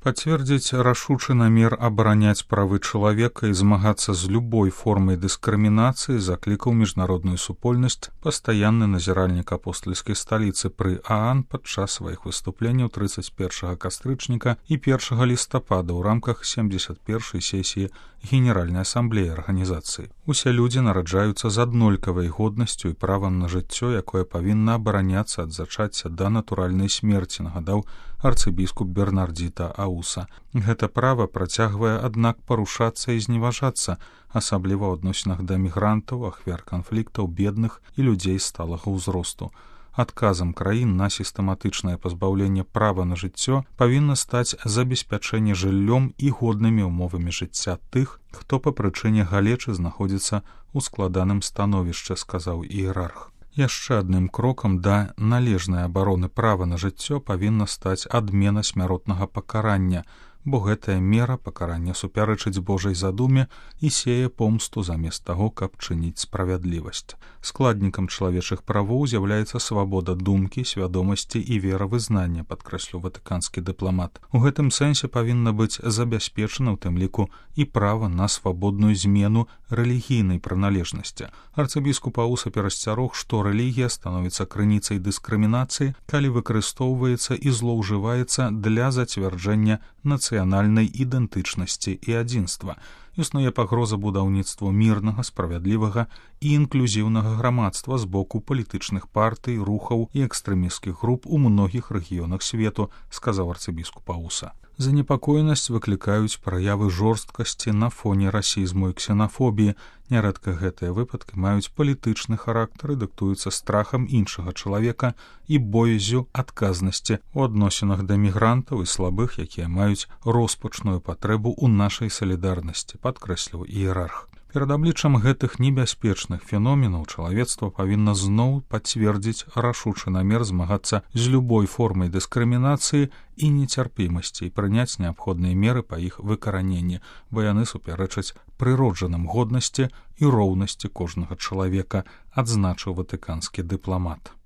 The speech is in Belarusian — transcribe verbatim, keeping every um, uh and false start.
Пацвердзіць рашучы намер абараняць правы чалавека і змагацца з любой формай дыскрымінацыі заклікаў міжнародную супольнасць пастаянны назіральнік апостальскай сталіцы пры ААН падчас сваіх выступленняў трыццаць першага кастрычніка і першага лістапада ў рамках семдзесят першай сесіі Генеральнай асамблеі арганізацыі. Усе людзі нараджаюцца з аднолькавай годнасцю і правам на жыццё, якое павінна абараняцца ад зачацця да натуральнай смерці, нагадаў арцыбіскуп Бернардзіта Ауса. Гэта права працягвае, аднак, парушацца і зневажацца, асабліва ў адносінах да мігрантаў, ахвяр канфліктаў, бедных і людзей сталага ўзросту. Адказам краін на сістэматычнае пазбаўленне права на жыццё павінна стаць забеспячэнне жыллём і годнымі ўмовамі жыцця тых, хто па прычыне галечы знаходзіцца ў складаным становішчы, сказаў іерарх. Яшчэ адным крокам да належнай абароны права на жыццё павінна стаць адмена смяротнага пакарання, бо гэтая мера пакарання супярэчыць Божай задуме і сее помсту замест таго, каб чыніць справядлівасць. Складнікам чалавечых правоў з'яўляецца свабода думкі, свядомасці і веравызнання, падкрэсліў ватыканскі дыпламат. У гэтым сэнсе павінна быць забяспечана ў тым ліку і права на свабодную змену рэлігійнай прыналежнасці. Арцыбіскуп Ауса перасцярог, што рэлігія становіцца крыніцай дыскрымінацыі, калі выкарыстоўваецца і злоўжываецца для зацвярджэння нацыянальнай ідэнтычнасці і адзінства. Існуе пагроза будаўніцтву мірнага, справядлівага і інклюзіўнага грамадства з боку палітычных партый, рухаў і экстрэмісцкіх груп у многіх рэгіёнах свету, сказаў арцыбіскуп Ауса. Занепакоенасць выклікаюць праявы жорсткасці на фоне расізму і ксенафобіі. Нярэдка гэтыя выпадкі маюць палітычны характар і дыктуюцца страхам іншага чалавека і боязю адказнасці ў адносінах да мігрантаў і слабых, якія маюць роспачную патрэбу ў нашай салідарнасці, падкрэсліў іерарх. Перад абліччам гэтых небяспечных феноменаў чалавецтва павінна зноў пацвердзіць рашучы намер змагацца з любой формай дыскрымінацыі і нецярпімасці і прыняць неабходныя меры па іх выкараненні, бо яны супярэчаць прыроджаным годнасці і роўнасці кожнага чалавека, адзначыў ватыканскі дыпламат.